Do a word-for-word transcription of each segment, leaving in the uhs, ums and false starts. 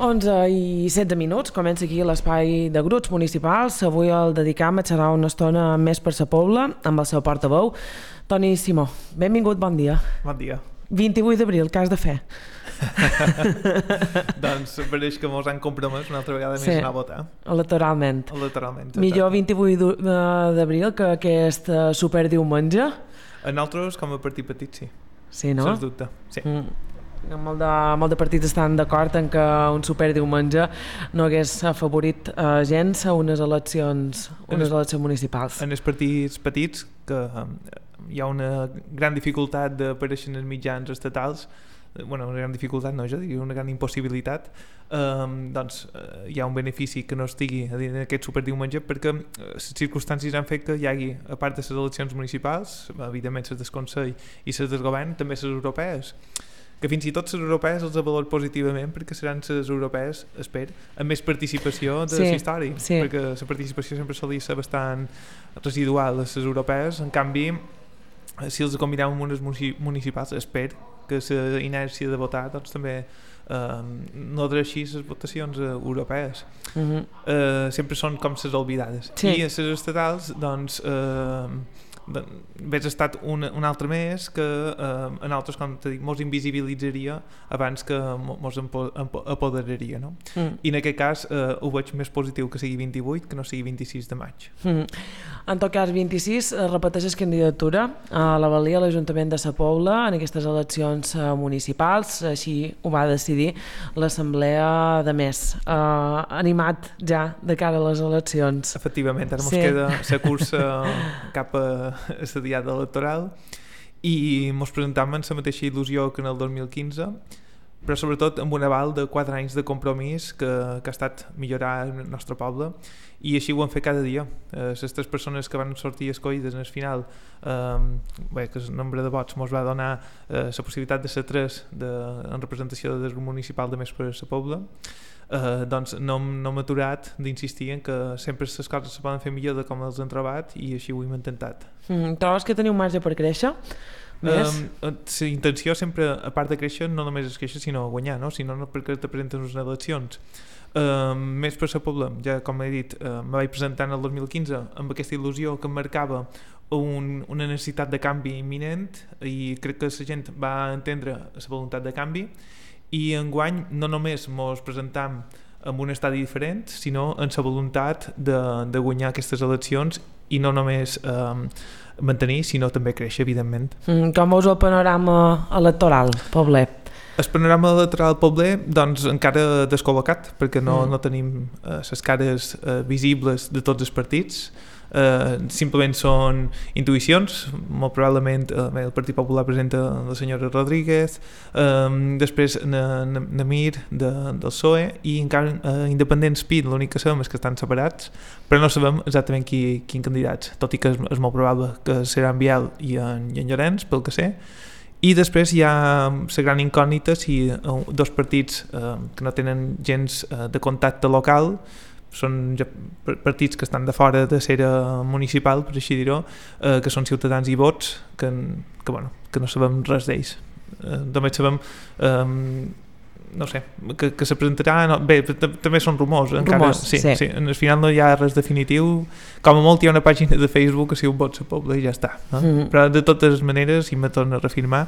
onze i setze minuts, comença aquí l'espai de grups municipals. Avui el dedicam a xerrar una estona més per sa Pobla, amb el seu portaveu, Toni Simó. Benvingut, bon dia. Bon dia. vint-i-vuit d'abril, què has de fer? Doncs pareix que mos han compromès una altra vegada més Sí, anar a votar. electoralment. Electoralment. Millor vint-i-vuit d'abril que aquest eh, superdiumenge. A nosaltres, com a partit petit, sí. Sí, no? Sens dubte, sí. Mm. Molt de, molt de partits estan d'acord en que un superdiumenge no hagués afavorit eh, gens a unes eleccions, unes es, eleccions municipals. En els partits petits, que um, hi ha una gran dificultat d'aparèixer en els mitjans estatals, bueno, una gran dificultat, no, jo diria una gran impossibilitat, um, doncs uh, hi ha un benefici que no estigui en aquest superdiumenge perquè les circumstàncies han fet que hi hagi, a part de les eleccions municipals, evidentment les del Consell i les del Govern, també les europees, que fins i tot les europees els valor positivament perquè seran les europees, espero, amb més participació de sí, la història, sí. perquè la participació sempre solia ser bastant residual a les europees. En canvi, si els combinem amb unes municipals, espero que la inèrcia de votar doncs, també eh, no deixi les votacions eh, europees. Mm-hmm. eh, sempre són com les oblidades. Sí. I a les estatals, doncs, eh, hauria estat un, un altre més que eh, en altres, com t'he dit, mos invisibilitzaria abans que mos empo, empo, apoderaria, no? Mm. I en aquest cas eh, ho veig més positiu que sigui vint-i-vuit que no sigui vint-i-sis de maig. Mm. En tot cas, vint-i-sis eh, repeteixes candidatura a la valia a l'Ajuntament de Sa Pobla en aquestes eleccions eh, municipals, així ho va decidir l'Assemblea de Més. Eh, animat ja de cara a les eleccions. Efectivament, ara sí. mos queda la cursa cap a la diada electoral i mos presentam amb la mateixa il·lusió que en el dos mil quinze, però sobretot amb un aval de quatre anys de compromís que, que ha estat millorar el nostre poble, i així ho hem fet cada dia. Eh, les tres persones que van sortir escollides en el final, eh, bé, que el nombre de vots mos va donar eh, la possibilitat de ser tres de, en representació del grup municipal de Més per la Pobla. Uh, doncs no, no m'he aturat d'insistir en que sempre les coses se poden fer millor de com els hem trobat i així ho hem intentat. Mm, trobes que teniu marge per créixer? Més? Um, la intenció sempre, a part de créixer, no només és créixer sinó guanyar, no? Sinó no perquè te presenten unes eleccions. Um, Més per la Pobla, ja com he dit, uh, me vaig presentar en el dos mil quinze amb aquesta il·lusió que em marcava un, una necessitat de canvi imminent i crec que la gent va entendre la voluntat de canvi. I enguany no només mos presentam amb un estadi diferent, sinó en la voluntat de, de guanyar aquestes eleccions i no només eh, mantenir, sinó també créixer, evidentment. Mm, com veus el panorama electoral, Pobler? El panorama electoral pobler, doncs, encara descol·locat, perquè no, mm. no tenim les eh, cares eh, visibles de tots els partits. Uh, simplement són intuïcions. Molt probablement uh, el Partit Popular presenta la senyora Rodríguez, um, després Namir de, del P S O E i encara uh, Independents P I D, l'únic que sabem és que estan separats, però no sabem exactament qui, quin candidats, tot i que és, és molt probable que serà en Biel i en, i en Llorenç, pel que sé. I després hi ha la gran incògnita si uh, dos partits uh, que no tenen gens uh, de contacte local, són ja partits que estan de fora de l'era municipal, per així dir-ho, eh, que són Ciutadans i Vots, que, que, bueno, que no sabem res d'ells. Eh, només sabem, eh, no sé, que, que se presentarà... No, bé, també són rumors. Encara, rumors, sí, sí. sí. Al final no hi ha res definitiu. Com a molt hi ha una pàgina de Facebook que si un vot a Pobla i ja està. No? Mm. Però de totes maneres, i me torno a reafirmar,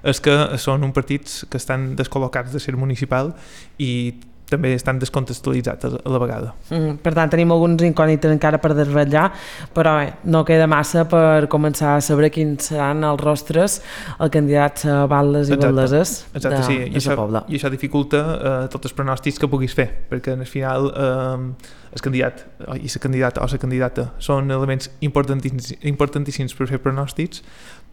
és que són un partits que estan descol·locats de ser municipal i també estan descontextualitzats a la vegada. Mm, per tant, tenim alguns incògnites encara per desvetllar, però bé, no queda massa per començar a saber quins seran els rostres els candidats a baldes i baldeses de, sí. de la Pobla. I això dificulta eh, tots els pronòstics que puguis fer, perquè al final eh, el candidat i la candidata o la candidata són elements importantíssims, importantíssims per fer pronòstics,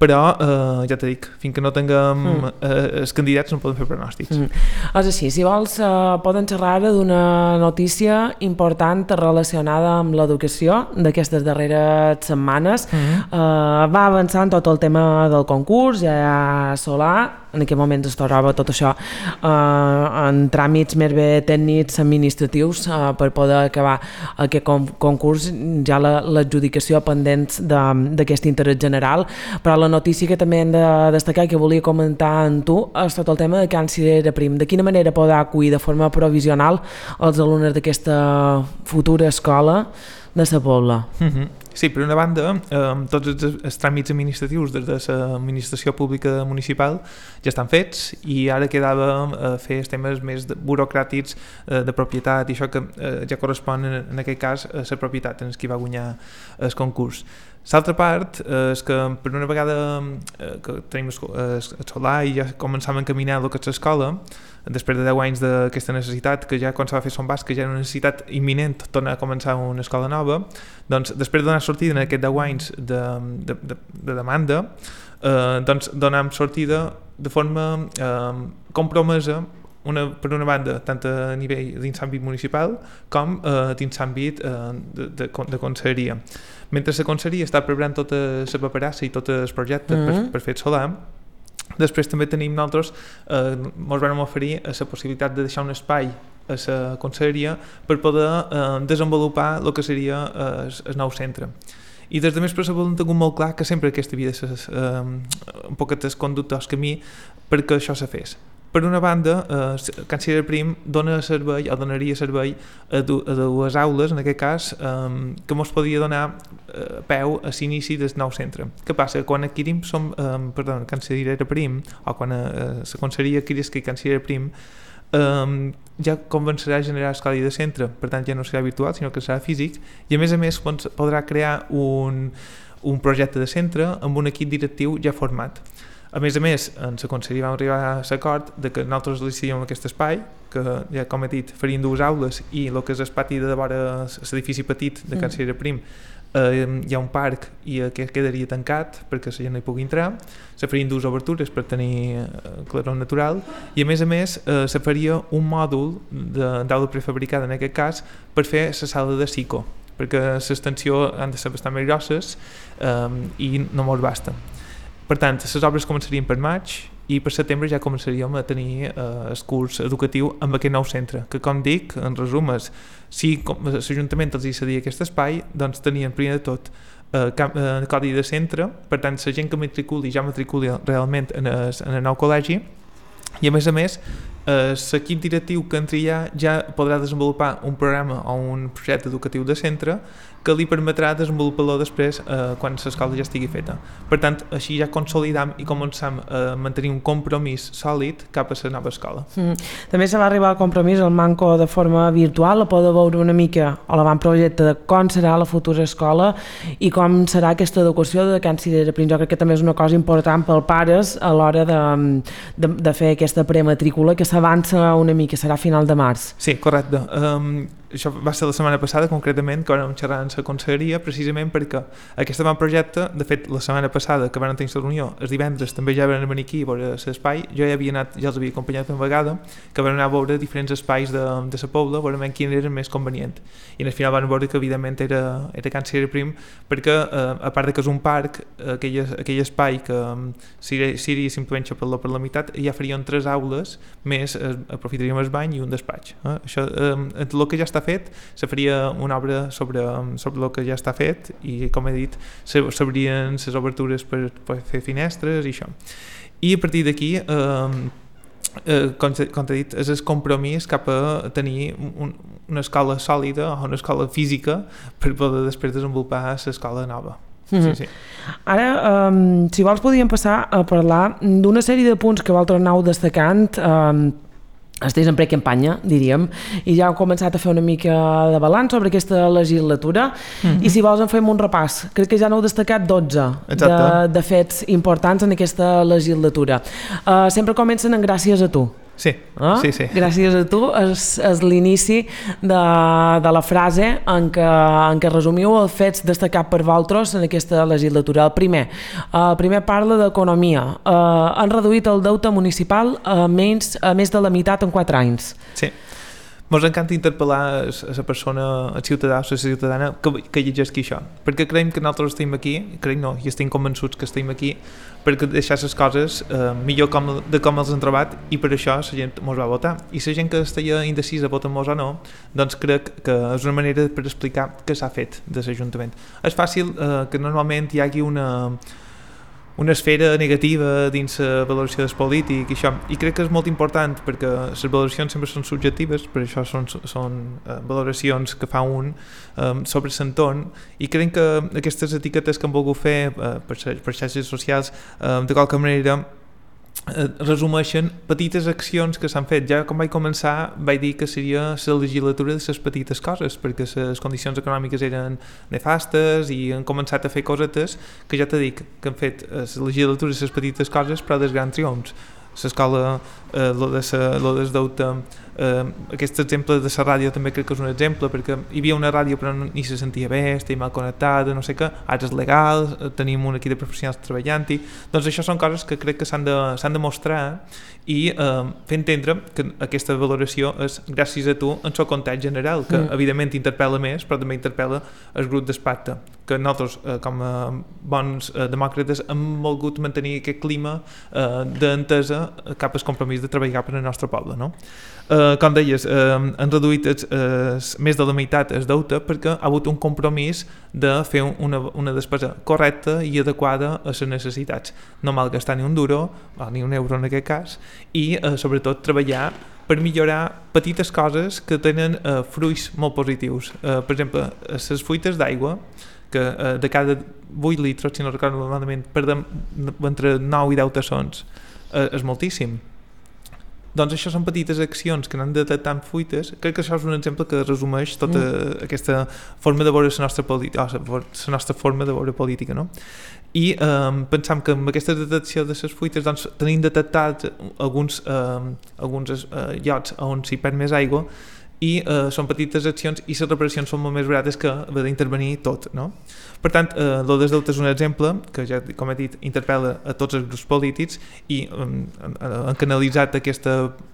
però eh, ja t'he dit, fins que no tinguem mm. eh, els candidats no podem fer pronòstics. Mm. És així, si vols eh, poden xerrar ara d'una notícia important relacionada amb l'educació d'aquestes darreres setmanes. Mm. Eh, va avançant tot el tema del concurs, ja hi ha solar, en aquest moment es troba tot això eh, en tràmits més bé tècnics administratius eh, per poder acabar aquest concurs, ja l'adjudicació pendents d'aquest interès general, però la notícia que també hem de destacar, que volia comentar amb tu, és tot el tema de Can Cirera Prim. De quina manera podrà acollir de forma provisional els alumnes d'aquesta futura escola de Sa Pobla? Mm-hmm. Sí, per una banda, eh, tots els, els tràmits administratius des de l'administració pública municipal ja estan fets i ara quedava eh, fer els temes més de, burocràtics eh, de propietat i això que eh, ja correspon en, en aquest cas a la propietat en qui va guanyar el concurs. L'altra part eh, és que per una vegada eh, que tenim el solar i ja començàvem a encaminar el que és l'escola, després de deu anys d'aquesta necessitat, que ja quan s'ha de fer Son Bas, que ja era una necessitat imminent tornar a començar una escola nova, doncs després de donar sortida en aquests deu anys de, de, de, de demanda, eh, doncs donem sortida de forma eh, compromesa, una, per una banda, tant a nivell dins l'àmbit municipal com eh, dins l'àmbit eh, de, de, de conselleria. Mentre la conselleria està preparant tota la paperassa i tot el projecte mm-hmm. per, per fer el solar, després també tenim nosaltres, eh, ens vam oferir la possibilitat de deixar un espai a la conselleria per poder eh, desenvolupar el que seria eh, el nou centre. I des de més per saber tingut molt clar que sempre aquesta havia de ser eh, un poquet el conducte al camí perquè això se fes. Per una banda, eh, Can Cirera Prim dona servei, o donaria servei a, du, a dues aules, en aquest cas, eh, que ens podia donar eh, peu a l'inici del nou centre. Què passa? Quan adquirim som, eh, perdó, Can Cirera Prim, o quan eh, la conselleria adquirís que Can Cirera Prim, eh, ja començarà a generar escola de centre, per tant ja no serà virtual, sinó que serà físic, i a més a més podrà crear un, un projecte de centre amb un equip directiu ja format. A més a més, en la conselleria vam arribar a l'acord de que nosaltres decidíem aquest espai, que ja com he dit, farien dues aules i el que és el pati de vora l'edifici petit de Can Cirera Prim, eh, hi ha un parc i que quedaria tancat perquè la gent no hi pugui entrar, se farien dues obertures per tenir eh, claror natural i a més a més eh, se faria un mòdul d'aula prefabricada en aquest cas per fer la sala de psico, perquè l'extensió han de ser bastant més grosses eh, i no molt basta. Per tant, les obres començarien per maig i per setembre ja començaríem a tenir eh, el curs educatiu amb aquest nou centre, que com dic, en resum, és, si l'Ajuntament els hi cedia aquest espai, doncs tenien primer de tot eh, eh, codi de centre, per tant, la gent que matriculi ja matriculi realment en el, en el nou col·legi i a més a més eh, l'equip directiu que entri ja, ja podrà desenvolupar un programa o un projecte educatiu de centre que li permetrà desenvolupar-lo després eh, quan l'escola ja estigui feta. Per tant, així ja consolidam i començam a mantenir un compromís sòlid cap a la nova escola. Mm. També se va arribar al compromís el manco de forma virtual, a poder veure una mica a l'avantprojecte de com serà la futura escola i com serà aquesta educació de Can Cirera Prim. Jo crec que també és una cosa important pels pares a l'hora de, de, de fer aquesta prematrícula que s'avança una mica, serà a final de març. Sí, correcte. Um, això va ser la setmana passada concretament que vam xerrar en la conselleria precisament perquè aquest avantprojecte, de fet la setmana passada que vam tenir la reunió, els divendres també ja vam venir aquí a veure l'espai, jo ja havia anat, ja els havia acompanyat una vegada, que vam anar a veure diferents espais de, de la Pobla, veurem quin era més convenient i al final vam veure que evidentment era, era Can Cirera Prim perquè eh, a part de que és un parc, aquell, aquell espai que seria simplement xapar-lo per la meitat, ja farien tres aules més, eh, aprofitaríem el bany i un despatx. Eh? Això, eh, el que ja està fet, se faria una obra sobre, sobre el que ja està fet i com he dit, s'obrien les obertures per, per fer finestres i això. I a partir d'aquí eh, eh, com, com t'he dit, és el compromís cap a tenir un, una escola sòlida o una escola física per poder després desenvolupar l'escola nova. Mm-hmm. Sí, sí. Ara, um, si vols podríem passar a parlar d'una sèrie de punts que vosaltres aneu destacant um, estigués en precampanya, diríem, i ja heu començat a fer una mica de balanç sobre aquesta legislatura, mm-hmm. i si vols en fem un repàs. Crec que ja n'heu destacat dotze de, de fets importants en aquesta legislatura. Uh, sempre comencen en gràcies a tu. Sí, eh? sí, sí. Gràcies a tu és, és l'inici de, de la frase en què, en què resumiu els fets destacats per vosaltres en aquesta legislatura. El primer, el primer parla d'economia. Eh, han reduït el deute municipal a, menys, a més de la meitat en quatre anys. Sí. Ens encanta interpel·lar a la persona, el ciutadà o la ciutadana que, que llegeixi això, perquè creiem que nosaltres estem aquí, creiem no, i estem convençuts que estem aquí perquè deixar les coses eh, millor com, de com els han trobat, i per això la gent ens va votar. I la gent que estaria indecisa votant-nos o no, doncs crec que és una manera per explicar què s'ha fet de l'Ajuntament. És fàcil eh, que normalment hi hagi una una esfera negativa dins la valoració del polític i això, i crec que és molt important perquè les valoracions sempre són subjectives, per això són, són uh, valoracions que fa un um, sobre l'entorn, i crec que aquestes etiquetes que han volgut fer uh, per, per xarxes socials uh, de qualque manera eh, resumeixen petites accions que s'han fet. Ja quan vaig començar vaig dir que seria la legislatura de les petites coses, perquè les condicions econòmiques eren nefastes i han començat a fer cosetes que ja t'he dit que han fet la legislatura de les petites coses, però dels grans triomfs. L'escola, eh, lo de sa, lo del deute, eh, aquest exemple de la ràdio també crec que és un exemple, perquè hi havia una ràdio però no, ni se sentia bé, estava mal connectada, no sé què, ara és legal, tenim un equip de professionals treballant-hi, doncs això són coses que crec que s'han de, s'han de mostrar i eh, fer entendre que aquesta valoració és gràcies a tu en el context general, que mm. evidentment interpel·la més, però també interpel·la el grup d'especte, que nosaltres eh, com a bons eh, demòcrates hem volgut mantenir aquest clima eh, d'entesa cap al compromís de treballar per al nostre poble, no? Eh, com deies, eh, han reduït els, eh, més de la meitat el deute perquè ha hagut un compromís de fer una, una despesa correcta i adequada a les necessitats, no malgastar ni un duro, o ni un euro en aquest cas, i eh, sobretot treballar per millorar petites coses que tenen eh, fruits molt positius. Eh, per exemple, les fuites d'aigua, que eh, de cada vuit litres, si no recordo malament, perdem entre nou i deu tassons, eh, és moltíssim. Doncs això són petites accions que n'han detectat fuites. Crec que això és un exemple que resumeix tota mm. aquesta forma de veure la nostra, política, oh, la nostra forma de veure política, no? I eh, pensam que amb aquesta detecció de les fuites doncs, tenim detectat alguns, eh, alguns eh, llocs on s'hi perd més aigua, i eh, són petites accions i les reparacions són molt més barates que haver d'intervenir tot, no? Per tant, eh, el dels deutes és un exemple que ja, com he dit, interpel·la a tots els grups polítics i eh, han canalitzat aquesta,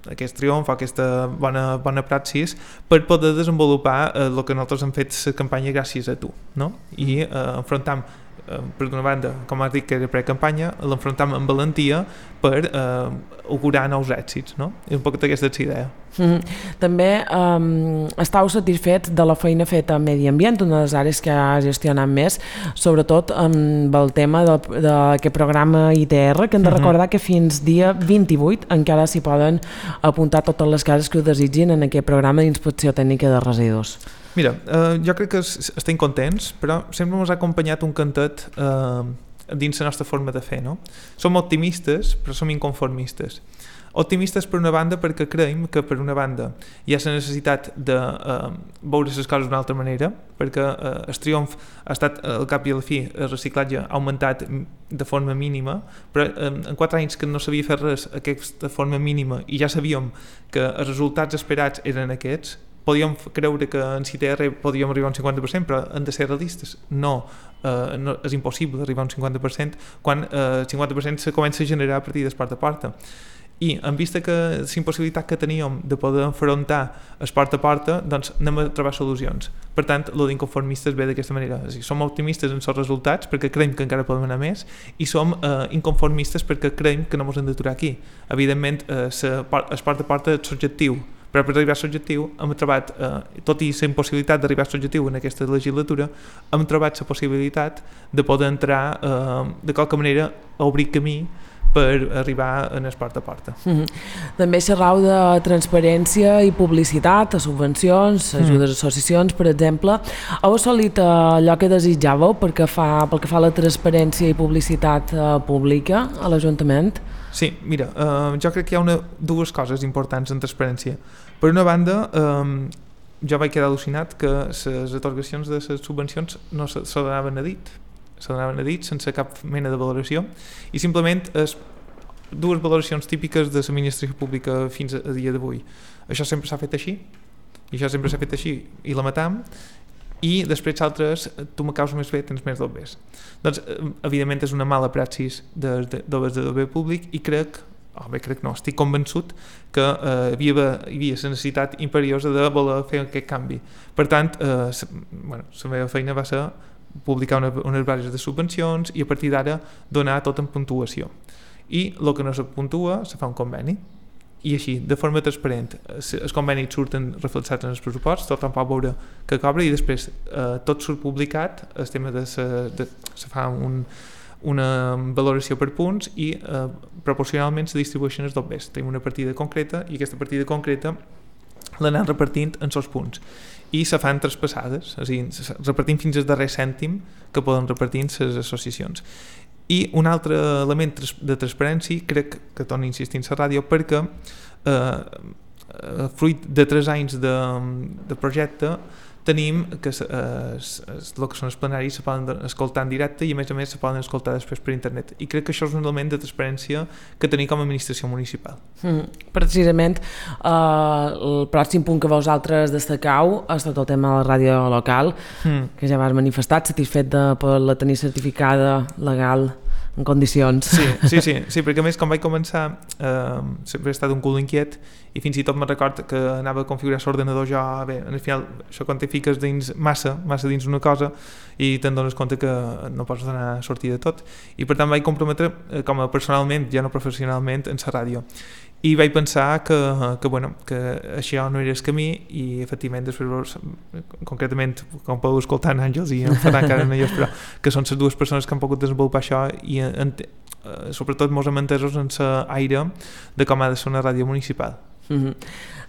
aquest triomf, aquesta bona, bona praxis per poder desenvolupar eh, el que nosaltres hem fet la campanya gràcies a tu, no? I eh, enfrontam per d'una banda, com has dit que era pre-campanya, l'enfrontam amb valentia per eh, augurar nous èxits, no? I un poc d'aquesta és idea. Mm-hmm. També um, estàu satisfets de la feina feta a Medi Ambient, una de les àrees que ha gestionat més, sobretot amb el tema d'aquest programa I T R, que hem de recordar mm-hmm. que fins dia vint-i-vuit encara s'hi poden apuntar totes les cases que ho desitgin en aquest programa d'inspecció tècnica de residus. Mira, eh, jo crec que estem contents, però sempre ens ha acompanyat un cantet eh, dins la nostra forma de fer, no? Som optimistes, però som inconformistes. Optimistes per una banda perquè creiem que per una banda hi ha la necessitat de eh, veure les coses d'una altra manera, perquè eh, el triomf ha estat al cap i al fi, el reciclatge ha augmentat de forma mínima, però eh, en quatre anys que no s'havia fet res aquesta forma mínima i ja sabíem que els resultats esperats eren aquests, podíem creure que en I T R podíem arribar a un cinquanta per cent, però hem de ser realistes. No, eh, no és impossible arribar a un cinquanta per cent quan eh, el cinquanta per cent se comença a generar a partir del porta a porta. I en vista que la impossibilitat que teníem de poder enfrontar el porta a porta, doncs anem a trobar solucions. Per tant, el d'inconformistes ve d'aquesta manera. És a dir, som optimistes en els resultats perquè creiem que encara podem anar més i som eh, inconformistes perquè creiem que no ens hem d'aturar aquí. Evidentment, eh, el porta a porta és subjectiu, però per arribar a l'objectiu hem trobat, eh, tot i la impossibilitat d'arribar a l'objectiu en aquesta legislatura, hem trobat la possibilitat de poder entrar eh, de qualque manera a obrir camí per arribar en el porta a porta. Mm-hmm. També xerrau de transparència i publicitat, a subvencions, ajudes a associacions, per exemple. Heu assolit allò que desitjàveu perquè fa, pel que fa a la transparència i publicitat eh, pública a l'Ajuntament? Sí, mira, eh, jo crec que hi ha una, dues coses importants en transparència. Per una banda, eh, jo vaig quedar al·lucinat que les atorgacions de les subvencions no se, se donaven a dit, se donaven a dit sense cap mena de valoració i simplement és dues valoracions típiques de l'administració pública fins a dia d'avui. Això sempre s'ha fet així, i això sempre s'ha fet així, i la matam, i després altres, tu me causes més bé, tens més dobbers. Doncs, evidentment, és una mala praxis dels de, de, de doble públic i crec oh, bé, crec no, estic convençut que eh, hi, havia, hi havia la necessitat imperiosa de voler fer aquest canvi. Per tant, eh, sa, bueno, la meva feina va ser publicar una, unes bases de subvencions i a partir d'ara donar tot en puntuació. I el que no se puntua se fa un conveni. I així, de forma transparent, els convenis surten reflexats en els pressuposts, tothom pot veure que cobra i després eh, tot surt publicat, el tema de se, de, se fa un, una valoració per punts i eh, proporcionalment se distribueixen els dobbers. Tenim una partida concreta i aquesta partida concreta l'anem repartint en els punts i se fan traspassades, és a dir, repartim fins al darrer cèntim que poden repartir les associacions. I un altre element de transparència, crec que torno a insistir en la ràdio, perquè eh, fruit de tres anys de, de projecte tenim que eh, el que són els plenaris se poden escoltar en directe i a més a més se poden escoltar després per internet, i crec que això és un element de transparència que tenim com a administració municipal. Mm, precisament eh, el pròxim punt que vosaltres destacau és tot el tema de la ràdio local, mm. que ja vas manifestar, satisfet de poder-la tenir certificada legal en condicions. Sí, sí, sí, sí, perquè a més quan vaig començar eh, sempre he estat un cul inquiet i fins i tot me record que anava a configurar l'ordenador jo, bé, al final això quan te fiques dins massa, massa dins una cosa i te'n dones compte que no pots donar sortida de tot, i per tant vaig comprometre eh, com a personalment, ja no professionalment, en la ràdio. I vaig pensar que, que, bueno, que això no era el camí i efectivament després, concretament, com podeu escoltar en Àngels i en Ferran encara no hi és, però que són les dues persones que han pogut desenvolupar això i en, eh, sobretot mos hem entesos en l'aire de com ha de ser una ràdio municipal. Mm-hmm.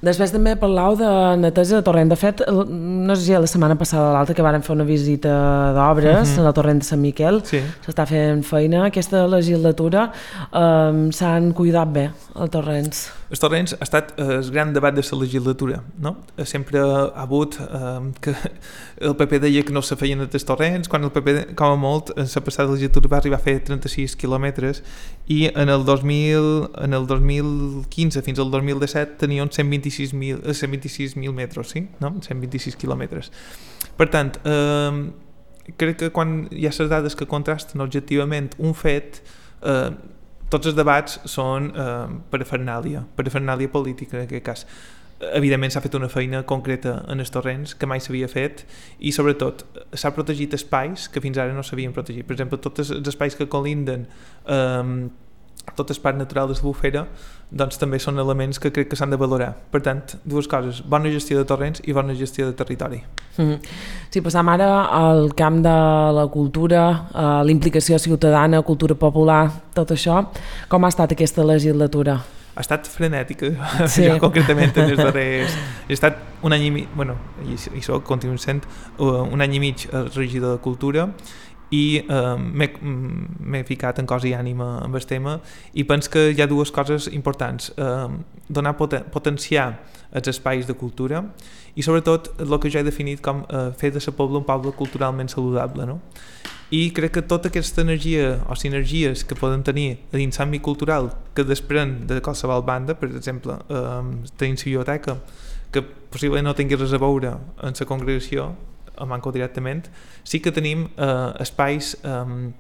Després també parlau de neteja de torrent. De fet, no sé si la setmana passada o l'altra que vàrem fer una visita d'obres mm-hmm. al torrent de Sant Miquel, sí. S'està fent feina. Aquesta legislatura eh, s'han cuidat bé els torrents. Els torrents ha estat el gran debat de la legislatura, no? Sempre ha hagut eh, que el P P deia que no se feien els torrents, quan el P P, com a molt, en la passada legislatura va arribar a fer trenta-sis quilòmetres i en el dos mil, en el dos mil quinze fins al dos mil disset tenien cent vint-i-sis mil metres, sí? No? cent vint-i-sis quilòmetres. Per tant, eh, crec que quan hi ha les dades que contrasten objectivament un fet, eh, tots els debats són eh, parafernàlia, parafernàlia política en aquest cas. Evidentment s'ha fet una feina concreta en els torrents que mai s'havia fet i sobretot s'ha protegit espais que fins ara no s'havien protegit. Per exemple, tots els espais que colinden eh, tot el parc natural de la Bufera, doncs també són elements que crec que s'han de valorar. Per tant, dues coses, bona gestió de torrents i bona gestió de territori. Mm-hmm. Si passam ara al camp de la cultura, eh, l'implicació ciutadana, cultura popular, tot això, com ha estat aquesta legislatura? Ha estat frenètica, sí. Jo concretament en els darrers... He estat un any i mig, bueno, i, i soc, continuo sent, un any i mig regidor de cultura i eh, m'he ficat en cos i ànima amb el tema i penso que hi ha dues coses importants, eh, donar poten potenciar els espais de cultura i sobretot el que jo he definit com eh, fer de la Pobla un poble culturalment saludable, no? I crec que tota aquesta energia o sinergies que poden tenir dins l'àmbit cultural que desprèn de qualsevol banda, per exemple eh, tenim la biblioteca que possiblement no tingui res a veure en la congregació a Manco directament, sí que tenim eh, espais eh,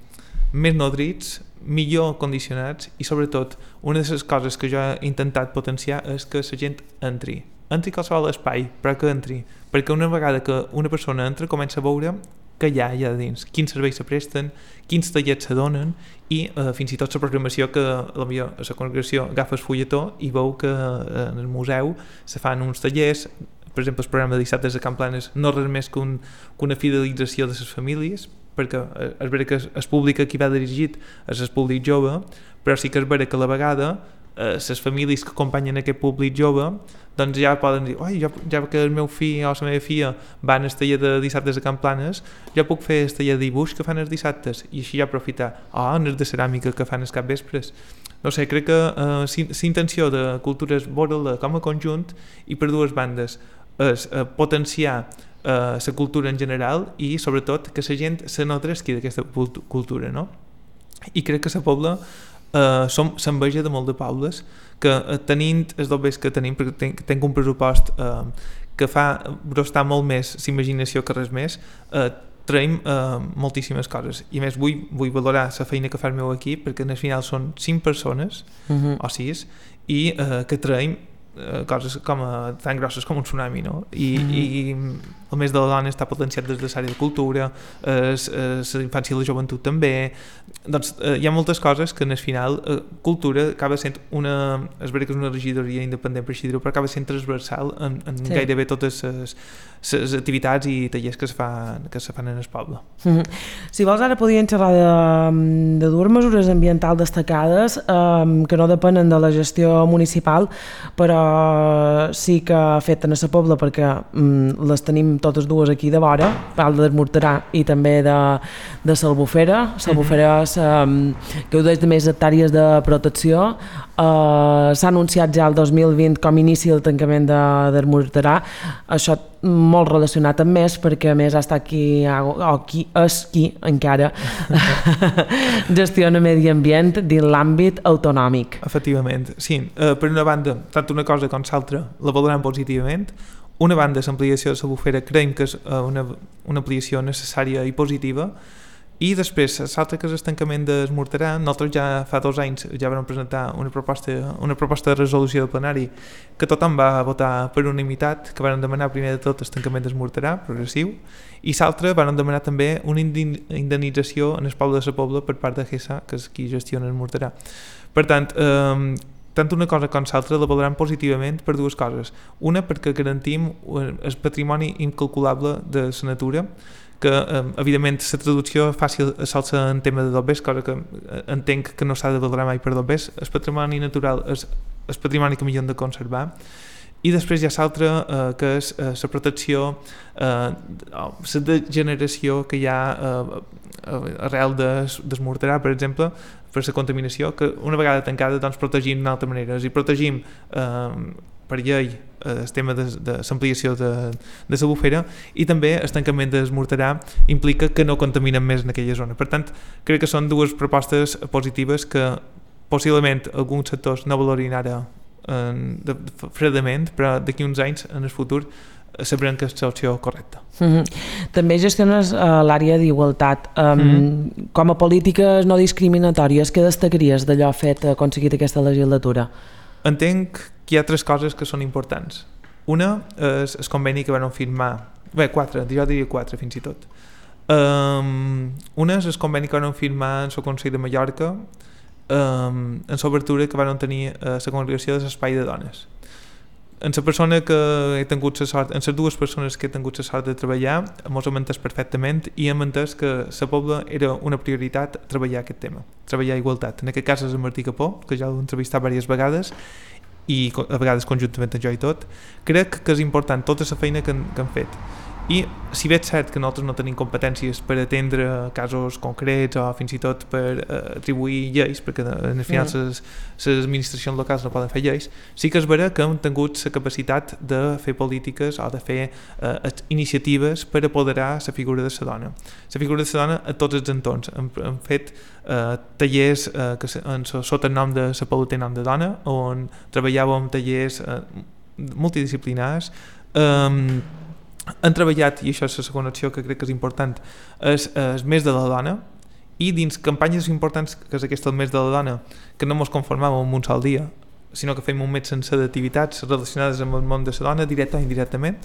més nodrits, millor condicionats i sobretot una de les coses que jo he intentat potenciar és que la gent entri, entri qualsevol espai, però que entri, perquè una vegada que una persona entra comença a veure que hi ha allà dins, quins serveis se presten, quins tallers se donen i eh, fins i tot la programació que potser a la congregació agafa el fulletó i veu que eh, en el museu se fan uns tallers. Per exemple, el programa de dissabtes a Can Planes no res més que, un, que una fidelització de les famílies, perquè és vera que el públic a qui va dirigit és el públic jove, però sí que és vera que a la vegada eh, les famílies que acompanyen aquest públic jove doncs ja poden dir, oi, ja, ja que el meu fill o la meva filla van al taller de dissabtes a Can Planes, jo puc fer el taller de dibuix que fan els dissabtes i així ja aprofitar, o oh, el de ceràmica que fan els capvespres. No sé, crec que eh, la intenció de cultura és veure-la com a conjunt i per dues bandes és eh, potenciar la eh, cultura en general i sobretot que la gent se nodresqui d'aquesta cultura, no? I crec que la Pobla eh, s'enveja de molt de pobles que eh, tenint els dobbers que tenim, perquè tenc, tenc un pressupost eh, que fa brostar molt més l'imaginació que res més, eh, traiem uh, moltíssimes coses. I a més vull, vull valorar la feina que fa el meu equip, perquè al final són cinc persones, uh-huh. o sis, i uh, que traiem uh, coses com a, tan grosses com un tsunami, no? I, uh-huh. i el mes de la dona està potenciat des de l'àrea de cultura, la infància i la joventut també. Doncs eh, hi ha moltes coses que en el final eh, cultura acaba sent una, és veritat que és una regidoria independent per així dir-ho, però acaba sent transversal en, en sí. gairebé totes les activitats i tallers que se fan, que se fan en el poble. Mm-hmm. Si vols ara podríem xerrar de, de dues mesures ambientals destacades eh, que no depenen de la gestió municipal, però sí que afecten a la pobla perquè mm, les tenim totes dues aquí de vora, Pal de Morterà i també de, de l'Albufera. L'Albufera um, gaudeix de més hectàrees de protecció. Uh, s'ha anunciat ja el dos mil vint com inici el tancament de, de Morterà. Això molt relacionat amb més, perquè a més ha estat qui, o qui és qui encara gestiona medi ambient dins l'àmbit autonòmic. Efectivament, sí. Uh, per una banda, tant una cosa com l'altra la valoram positivament. Una banda, l'ampliació de l'Albufera, creiem que és una, una ampliació necessària i positiva, i després, l'altre que és el tancament de Morterà, nosaltres ja fa dos anys ja vam presentar una proposta, una proposta de resolució del plenari que tothom va votar per unanimitat, que van demanar primer de tot el tancament de Morterà, progressiu, i l'altre van demanar també una indemnització en el poble de la Pobla per part de GESA, que és qui gestiona el Morterà. Per tant, eh, tant una cosa com l'altra la valoram positivament per dues coses. Una, perquè garantim el patrimoni incalculable de la natura, que eh, evidentment la traducció fàcil s'alça en tema de dobbers, cosa que entenc que no s'ha de valorar mai per dobbers. El patrimoni natural és el patrimoni que millor hem de conservar. I després hi ha l'altra, eh, que és eh, la protecció, eh, la degeneració que hi ha eh, arrel del Morterà, per exemple, per la contaminació, que una vegada tancada doncs protegim d'una altra manera. I protegim eh, per llei el tema de, de l'ampliació de, de l'Albufera, i també el tancament del Morterà implica que no contaminen més en aquella zona. Per tant, crec que són dues propostes positives que possiblement alguns sectors no valorin ara eh, de, de, fredament, però d'aquí uns anys, en el futur, sabrem que és l'opció correcta. Mm-hmm. També gestiones uh, l'àrea d'igualtat. Um, mm-hmm. Com a polítiques no discriminatòries, què destacaries d'allò fet aconseguit aquesta legislatura? Entenc que hi ha tres coses que són importants. Una és el conveni que van firmar, bé, quatre, jo diria quatre fins i tot. Um, una és el conveni que van firmar en el Consell de Mallorca um, en l'obertura que van tenir a la congregació de l'espai de dones. En la persona que he tingut la sort, en les dues persones que he tingut la sort de treballar, mos hem entès perfectament i hem entès que la Pobla era una prioritat treballar aquest tema, treballar igualtat. En aquest cas és en Martí Capó, que ja l'he entrevistat diverses vegades, i a vegades conjuntament amb jo i tot. Crec que és important tota la feina que han, que han fet. I si bé és cert que nosaltres no tenim competències per atendre casos concrets o fins i tot per uh, atribuir lleis, perquè en el final les mm. administracions locals no poden fer lleis, sí que és vera que hem tingut la capacitat de fer polítiques o de fer uh, iniciatives per apoderar la figura de la dona. La figura de la dona a tots els entorns. Hem, hem fet uh, tallers uh, que en, sota el nom de la Pobla té nom de dona, on treballàvem tallers uh, multidisciplinars. Um, Han treballat, i això és la segona acció que crec que és important, és el mes de la dona, i dins campanyes importants, que és aquesta el mes de la dona, que no ens conformàvem amb un sol dia, sinó que fem un mes sencer d'activitats relacionades amb el món de la dona, directa o indirectament.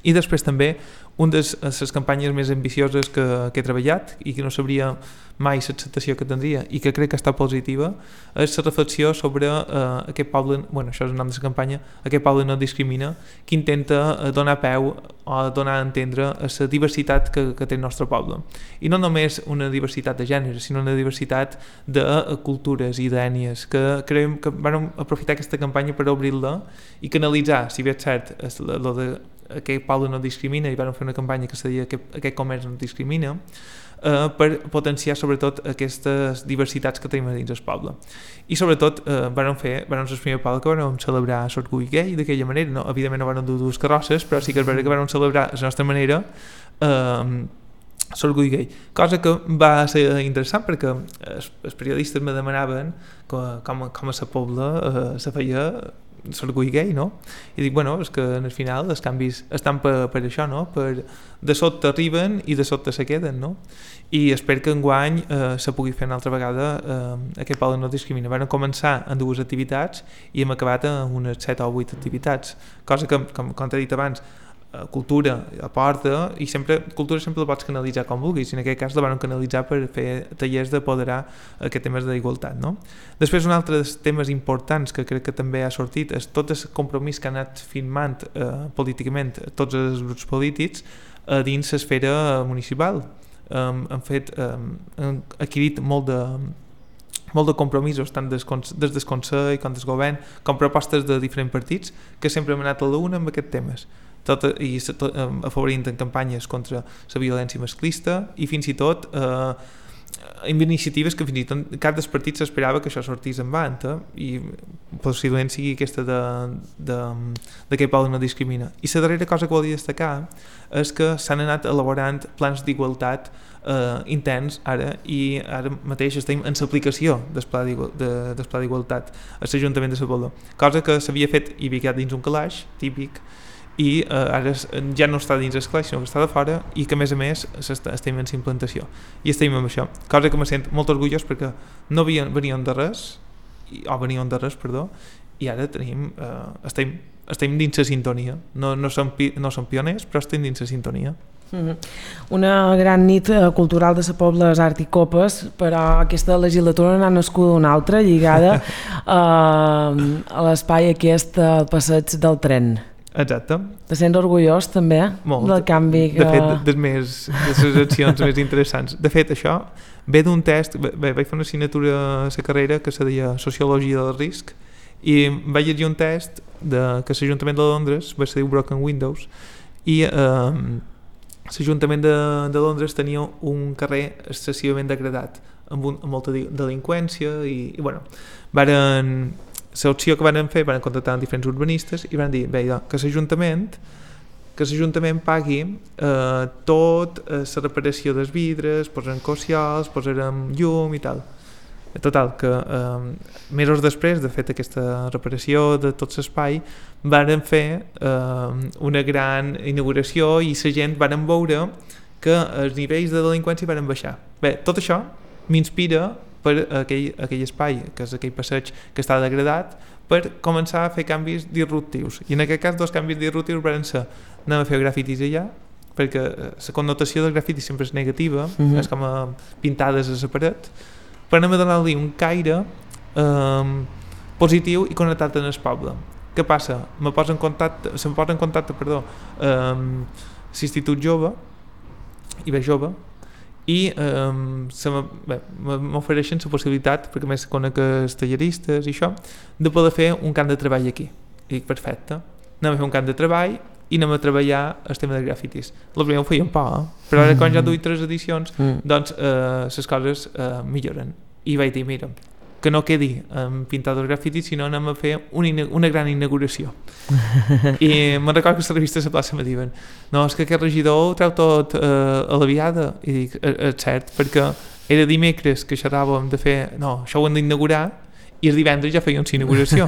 I després també una de les campanyes més ambicioses que, que he treballat i que no sabria mai l'acceptació que tindria i que crec que està positiva, és la reflexió sobre eh, aquest poble, bueno, això és el nom de la campanya, aquest poble no discrimina, que intenta donar peu o donar a entendre a la diversitat que, que té el nostre poble. I no només una diversitat de gènere, sinó una diversitat de cultures i d'ètnies, que creiem que vam aprofitar aquesta campanya per obrir-la i canalitzar, si bé és cert, lo de aquest poble no discrimina, i vam fer una campanya que se deia que aquest comerç no discrimina, eh, per potenciar sobretot aquestes diversitats que tenim dins el poble. I sobretot eh, vam fer, vam ser el primer poble que vam celebrar l'orgull gai d'aquella manera, no? Evidentment no vam dur dues carrosses, però sí que és veritat que vam celebrar a la nostra manera eh, l'orgull gai, cosa que va ser interessant perquè els, els periodistes me demanaven que, com, com a la Pobla eh, se feia l'orgull gay, no? I dic, bueno, és que al final els canvis estan per, per això, no? Per, de sota arriben i de sota se queden, no? I espero que enguany eh, se pugui fer una altra vegada eh, aquest poble no discrimina. Vam començar en dues activitats i hem acabat amb unes set o vuit activitats, cosa que, com, com t'he dit abans, cultura aporta, i sempre cultura sempre la pots canalitzar com vulguis, i en aquest cas la van canalitzar per fer tallers d'apoderar aquests temes d'igualtat, no? Després, un altre dels temes importants que crec que també ha sortit és tot el compromís que han anat firmant eh, políticament tots els grups polítics eh, dins l'esfera municipal. Um, han fet um, han adquirit molt de molt de compromisos, tant des, des del Consell com del Govern, com propostes de diferents partits, que sempre hem anat a l'una amb aquests temes. Tot, i tot, afavorint en campanyes contra la violència masclista i fins i tot eh, amb iniciatives que fins i tot cap dels partits s'esperava que això sortís en vanta, i possiblement sigui aquesta de, de, de que poble no discrimina. I la darrera cosa que volia destacar és que s'han anat elaborant plans d'igualtat eh, interns ara, i ara mateix estem en l'aplicació del pla d'igualtat a l'Ajuntament de Sa Pobla, cosa que s'havia fet i havia quedat dins un calaix típic, i eh, ara ja no està dins el calaix sinó que està de fora, i que a més a més estem en implantació i estem amb això, cosa que me sent molt orgullós perquè no venien, venien de res o venien de res, perdó, i ara tenim, eh, estem, estem dins la sintonia, no, no, som, no som pioners però estem dins la sintonia. Mm-hmm. Una gran nit cultural de Sa Pobla és Art i Copes, però aquesta legislatura n'ha nascut una altra lligada eh, a l'espai aquest al passeig del tren. Exacte. Te sents orgullós també Molt. Del canvi que... De fet, de, més, de les accions més interessants. De fet, això ve d'un test, bé, vaig fer una assignatura a la carrera que se deia Sociologia del Risc, i vaig llegir un test de, que l'Ajuntament de Londres, va ser diu Broken Windows, i eh, l'Ajuntament de, de Londres tenia un carrer excessivament degradat, amb, un, amb molta delinqüència, i, i bueno, varen... l'opció que van fer, van contactar amb diferents urbanistes i van dir, bé, que l'Ajuntament que l'Ajuntament pagui eh, tot eh, la reparació dels vidres, posarem cocials, posarem llum i tal. Total, que eh, mesos després de fet aquesta reparació de tot l'espai van fer eh, una gran inauguració i la gent van veure que els nivells de delinqüència van baixar. Bé, tot això m'inspira per aquell, aquell espai, que és aquell passeig que està degradat, per començar a fer canvis disruptius. I en aquest cas, dos canvis disruptius van ser anem a fer grafitis allà, perquè la connotació del grafiti sempre és negativa, mm-hmm. és com a pintades a la paret, per anem a donar-li un caire eh, positiu i connectat en el poble. Què passa? Me posa en contacte, se'm posa en contacte perdó, eh, l'Institut Jove, i bé jove, i eh, m'ofereixen la possibilitat, perquè més conec els talleristes i això, de poder fer un camp de treball aquí. I dic, perfecte, anem a fer un camp de treball i anem a treballar el tema de grafitis. El primer ho feien por, eh? Però ara quan ja duia tres edicions, doncs eh, les coses eh, milloren. I vaig dir, mira, que no quedi um, pintat els grafitis, sinó anem a fer una, una gran inauguració. I me'n recordo que a la revista de la plaça me diuen, no, és que aquest regidor ho treu tot uh, a la viada. I dic, és cert, perquè era dimecres que xerràvem de fer, no, això ho hem d'inaugurar, i el divendres ja feien la inauguració.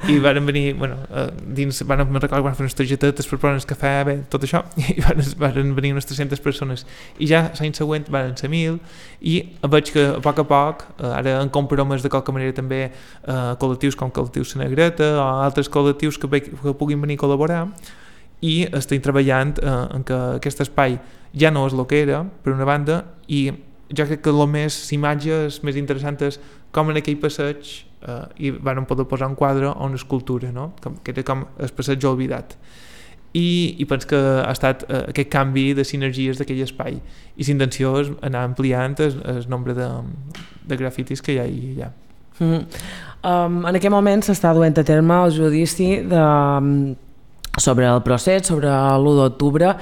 I van venir, bueno, uh, dins, van, me'n recordo que van fer unes targetetes per provar el cafè, bé, tot això, i van, van venir unes tres-centes persones. I ja l'any següent van ser mil, i veig que a poc a poc, uh, ara en compromes de qualque manera també uh, col·lectius com Col·lectius La Negreta o altres col·lectius que, ve, que puguin venir a col·laborar, i estem treballant uh, en que aquest espai ja no és el que era, per una banda, i jo crec que el més, l'imatge més interessant és com en aquell passeig Uh, i van poder posar un quadre o una escultura, no? Com, que era com el passeig oblidat, i, i penso que ha estat uh, aquest canvi de sinergies d'aquell espai, i l'intenció és anar ampliant el, el nombre de, de grafitis que hi ha allà. Mm. Um, en aquest moment s'està duent a terme el judici de sobre el procés, sobre l'u d'octubre.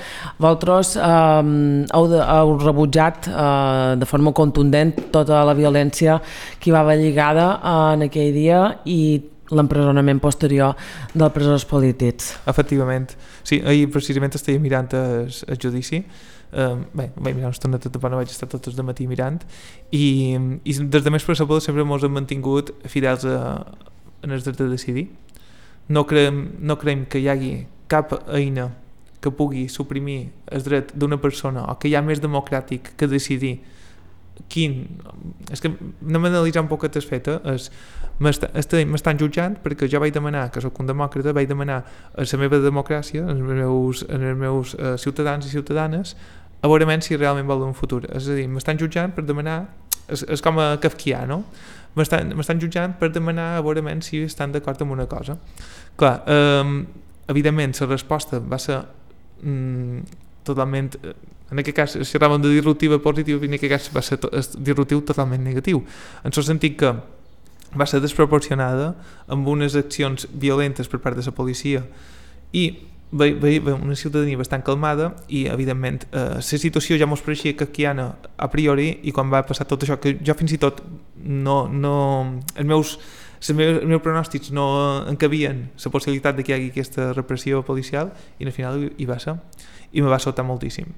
Vosaltres eh, heu, de, heu rebutjat eh, de forma contundent tota la violència que hi va haver lligada eh, en aquell dia i l'empresonament posterior dels presons polítics. Efectivament. Sí, ahir precisament estava mirant el, el judici. Uh, bé, vaig mirar una estoneta, no vaig estar tots de matí mirant, i, i des de més per sempre ens hem mantingut fidels a, en el dret de decidir. no creiem, no creiem que hi hagi cap eina que pugui suprimir el dret d'una persona o que hi ha més democràtic que decidir quin... És que anem a analitzar un poquet el fet, eh? M'estan jutjant perquè jo vaig demanar, que soc un demòcrata, vaig demanar a la meva democràcia, als meus, als meus uh, ciutadans i ciutadanes, a veure si realment volen un futur. És a dir, m'estan jutjant per demanar... És, és com a kafkià, no? M'estan jutjant per demanar a veure si estan d'acord amb una cosa. Clar, eh, evidentment, la resposta va ser mm, totalment... En aquest cas, si parlàvem de disruptiva positiva, en aquest cas va ser to, disruptiu totalment negatiu. En el sentit que va ser desproporcionada amb unes accions violentes per part de la policia i ve, ve, ve una ciutadania bastant calmada i, evidentment, eh, la situació ja mos pareixia kafkiana a priori i quan va passar tot això, que jo fins i tot no... no els meus els meus, els meus pronòstics no encabien la possibilitat de que hi hagi aquesta repressió policial i al final hi va ser i me va sobtar moltíssim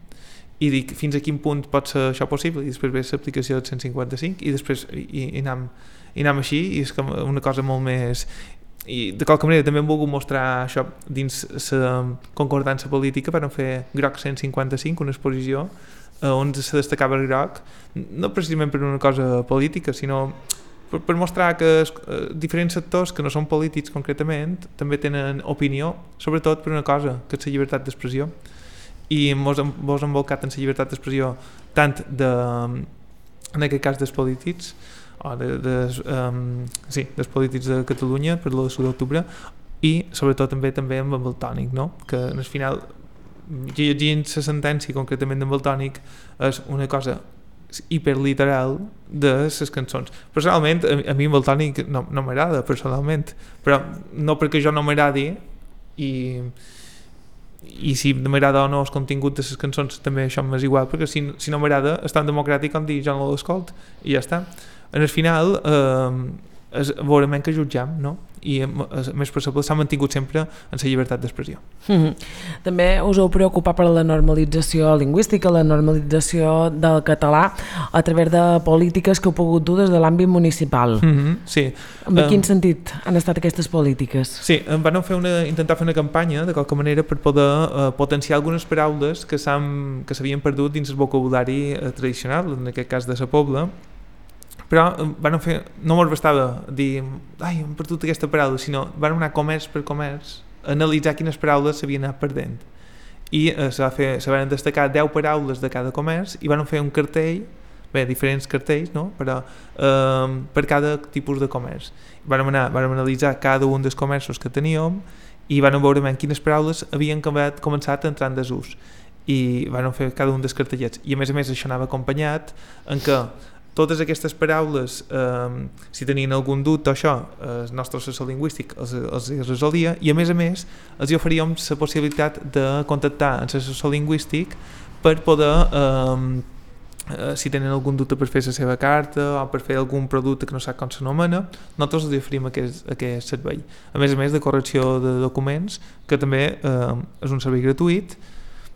i dic fins a quin punt pot ser això possible i després ve l'aplicació del cent cinquanta-cinc i després i, i, anem, i anem així i és com una cosa molt més i de qualque manera també hem volgut mostrar això dins la concordança política per fer groc cent cinquanta-cinc, una exposició on se destacava el groc no precisament per una cosa política sinó per, per mostrar que es, eh, diferents sectors que no són polítics concretament també tenen opinió sobretot per una cosa que és la llibertat d'expressió i mos hem envolcat en la llibertat d'expressió tant de, en aquest cas dels polítics o de, de, um, sí, dels polítics de Catalunya per l'u d'octubre i sobretot també també amb el Valtònic, no? Que al final llegint la sentència concretament d'en Valtònic és una cosa hiperliteral de les cançons. Personalment a, a mi en Valtònic no, no m'agrada personalment, però no perquè jo no m'agradi i i si m'agrada o no el contingut de les cançons també això m'és igual perquè si, si no m'agrada és tan democràtic com dir jo no l'escolt i ja està en el final eh, és veurem que jutjam no? I a més possible s'ha mantingut sempre en la llibertat d'expressió. Mm-hmm. També us heu preocupat per la normalització lingüística, la normalització del català a través de polítiques que heu pogut dur des de l'àmbit municipal. Mm-hmm, sí. En um, quin sentit han estat aquestes polítiques? Sí, van fer una, intentar fer una campanya de qualque manera per poder uh, potenciar algunes paraules que s'havien perdut dins el vocabulari uh, tradicional, en aquest cas de la Pobla, però van fer, no mos bastava dir ai, hem perdut aquesta paraula, sinó van anar comerç per comerç a analitzar quines paraules s'havien anat perdent i eh, se, va fer, se van destacar deu paraules de cada comerç i van fer un cartell, bé, diferents cartells no? però, eh, per cada tipus de comerç vam, anar, vam analitzar cada un dels comerços que teníem i vam veure quines paraules havien començat a entrar en desús i van fer cada un dels cartellets i a més a més això anava acompanyat en què totes aquestes paraules, eh, si tenien algun dubte o això, el nostre assessor lingüístic els, els resolia i a més a més els oferíem la possibilitat de contactar amb l'assessor lingüístic per poder, eh, eh, si tenen algun dubte per fer la seva carta o per fer algun producte que no sap com s'anomena, nosaltres els oferim aquest, aquest servei. A més a més de correcció de documents, que també eh, és un servei gratuït,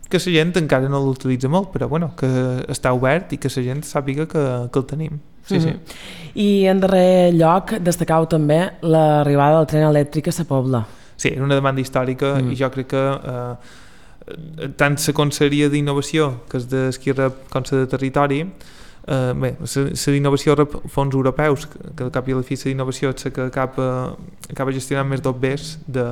que la gent encara no l'utilitza molt, però bueno, que està obert i que la gent sàpiga que, que el tenim. Sí, mm-hmm. sí. I en darrer lloc destacau també l'arribada del tren elèctric a la Pobla. Sí, és una demanda històrica mm. i jo crec que eh, tant la Conselleria d'Innovació, que és d'Esquerra com la de Territori, eh, bé, la d'innovació rep fons europeus, que al cap i a la fi la d'innovació és la que acaba, acaba gestionant més d'O B Es de,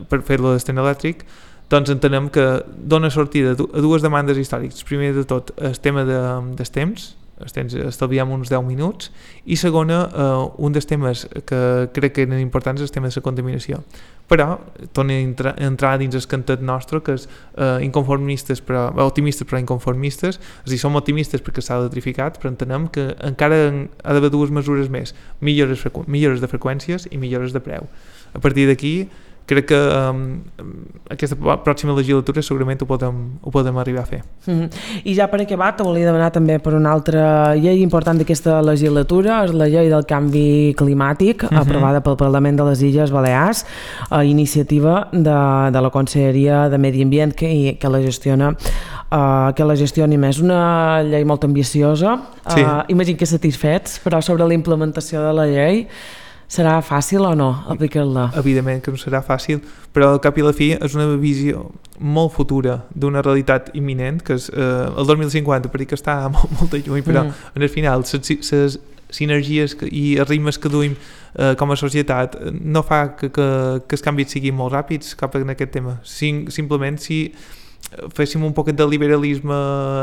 per fer-lo del tren elèctric, doncs entenem que dona sortida a dues demandes històriques. Primer de tot, el tema de, dels temps, els temps estalviem uns deu minuts, i segona, eh, un dels temes que crec que eren importants és el tema de la contaminació. Però torna a entrar, a entrar dins el cantet nostre, que és eh, inconformistes, però, optimistes però inconformistes, és a dir, som optimistes perquè s'ha electrificat, però entenem que encara ha d'haver dues mesures més, millores, frequ- millores de freqüències i millores de preu. A partir d'aquí, crec que um, aquesta pròxima legislatura segurament ho podem, ho podem arribar a fer. Mm-hmm. I ja per acabar, te volia demanar també per una altra llei important d'aquesta legislatura, és la llei del canvi climàtic, mm-hmm. aprovada pel Parlament de les Illes Balears, a iniciativa de, de la Conselleria de Medi Ambient que, que la gestiona uh, que la gestioni més. Una llei molt ambiciosa, sí. uh, imagino que satisfets, però sobre la implementació de la llei Serà fàcil o no aplicar-la? Evidentment que no serà fàcil, però al cap i a la fi és una visió molt futura d'una realitat imminent, que és eh, el dos mil cinquanta, perquè està molt, molt lluny, però mm. en el final les sinergies i els ritmes que duim eh, com a societat no fa que, que, que els canvis siguin molt ràpids cap en aquest tema. Sim, simplement si féssim un poquet de liberalisme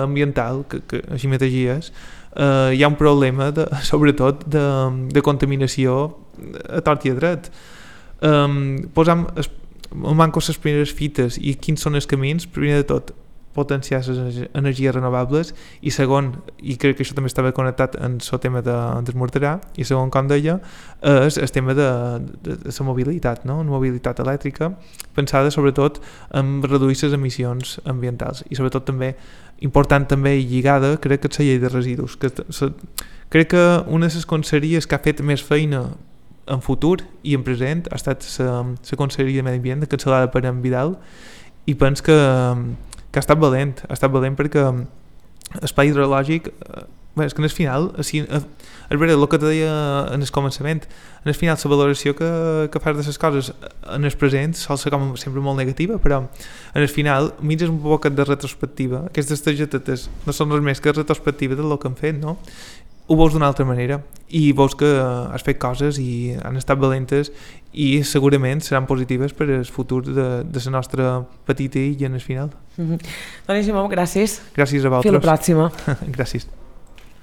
ambiental, que, que així mateix Uh, hi ha un problema de, sobretot de, de contaminació a tort i a dret. Um, posam es, manco les primeres fites i quins són els camins. Primer de tot, potenciar les energies renovables, i segon, i crec que això també estava connectat en el tema de desmorterar, i segon, com deia, és el tema de, de, de la mobilitat, no? Una mobilitat elèctrica pensada sobretot en reduir les emissions ambientals, i sobretot també important també i lligada, crec que és la llei de residus, que se, crec que una de les conselleries que ha fet més feina en futur i en present ha estat la Conselleria de Medi Ambient, encapçalada per en Vidal, i penso que que ha estat valent, ha estat valent perquè l'espai hidrològic, bé, és que en el final, així, a, a veure, el que te deia en el començament, en el final la valoració que, que fas de les coses en el present sol ser com sempre molt negativa, però en el final mires un poc de retrospectiva, aquestes targetetes no són res més que retrospectiva del que han fet, no? Ho veus d'una altra manera i veus que has fet coses i han estat valentes i segurament seran positives per al futur de, de la nostra petita illa en el final. Mm-hmm. Doncs, Simó, gràcies. Gràcies a vosaltres. Fins la pròxima. Gràcies.